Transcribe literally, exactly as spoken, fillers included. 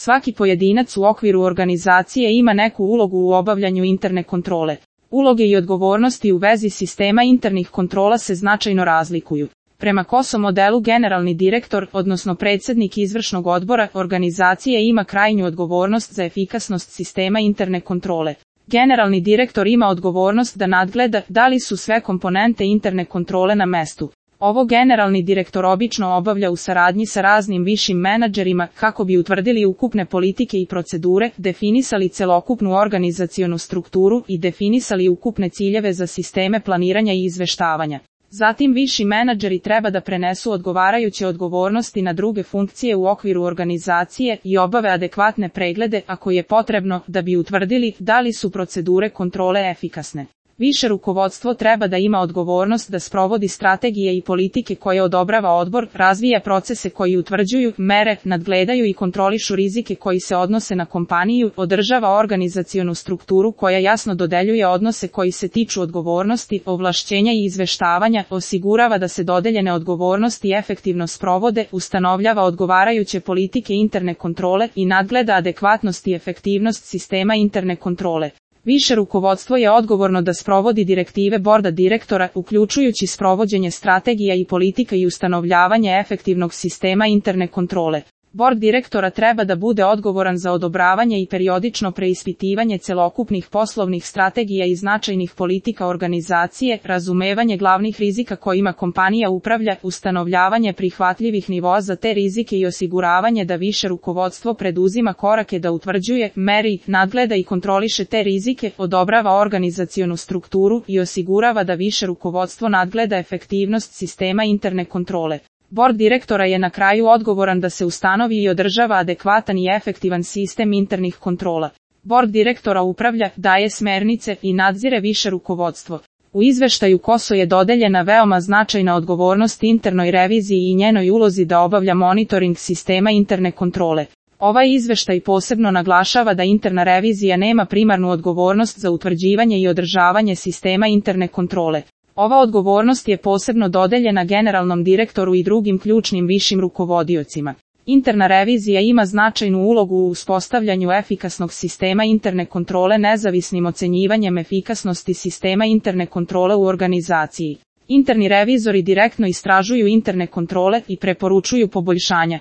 Svaki pojedinac u okviru organizacije ima neku ulogu u obavljanju interne kontrole. Uloge i odgovornosti u vezi sistema internih kontrola se značajno razlikuju. Prema K O S O modelu generalni direktor, odnosno predsjednik izvršnog odbora organizacije ima krajnju odgovornost za efikasnost sistema interne kontrole. Generalni direktor ima odgovornost da nadgleda da li su sve komponente interne kontrole na mestu. Ovo generalni direktor obično obavlja u saradnji sa raznim višim menadžerima kako bi utvrdili ukupne politike i procedure, definisali celokupnu organizacionu strukturu i definisali ukupne ciljeve za sisteme planiranja i izveštavanja. Zatim viši menadžeri treba da prenesu odgovarajuće odgovornosti na druge funkcije u okviru organizacije i obave adekvatne preglede ako je potrebno da bi utvrdili da li su procedure kontrole efikasne. Više rukovodstvo treba da ima odgovornost da sprovodi strategije i politike koje odobrava odbor, razvija procese koji utvrđuju, mere, nadgledaju i kontrolišu rizike koji se odnose na kompaniju, održava organizacionu strukturu koja jasno dodeljuje odnose koji se tiču odgovornosti, ovlašćenja i izveštavanja, osigurava da se dodeljene odgovornosti efektivno sprovode, ustanovljava odgovarajuće politike interne kontrole i nadgleda adekvatnost i efektivnost sistema interne kontrole. Više rukovodstvo je odgovorno da sprovodi direktive borda direktora, uključujući sprovođenje strategija i politika i ustanovljavanje efektivnog sistema interne kontrole. Bord direktora treba da bude odgovoran za odobravanje i periodično preispitivanje celokupnih poslovnih strategija i značajnih politika organizacije, razumevanje glavnih rizika kojima kompanija upravlja, ustanovljavanje prihvatljivih nivoa za te rizike i osiguravanje da više rukovodstvo preduzima korake da utvrđuje, meri, nadgleda i kontroliše te rizike, odobrava organizacionu strukturu i osigurava da više rukovodstvo nadgleda efektivnost sistema interne kontrole. Bord direktora je na kraju odgovoran da se ustanovi i održava adekvatan i efektivan sistem internih kontrola. Bord direktora upravlja, daje smernice i nadzire više rukovodstvo. U izveštaju K O S O je dodeljena veoma značajna odgovornost internoj reviziji i njenoj ulozi da obavlja monitoring sistema interne kontrole. Ovaj izveštaj posebno naglašava da interna revizija nema primarnu odgovornost za utvrđivanje i održavanje sistema interne kontrole. Ova odgovornost je posebno dodeljena generalnom direktoru i drugim ključnim višim rukovodiocima. Interna revizija ima značajnu ulogu u uspostavljanju efikasnog sistema interne kontrole nezavisnim ocenjivanjem efikasnosti sistema interne kontrole u organizaciji. Interni revizori direktno istražuju interne kontrole i preporučuju poboljšanja.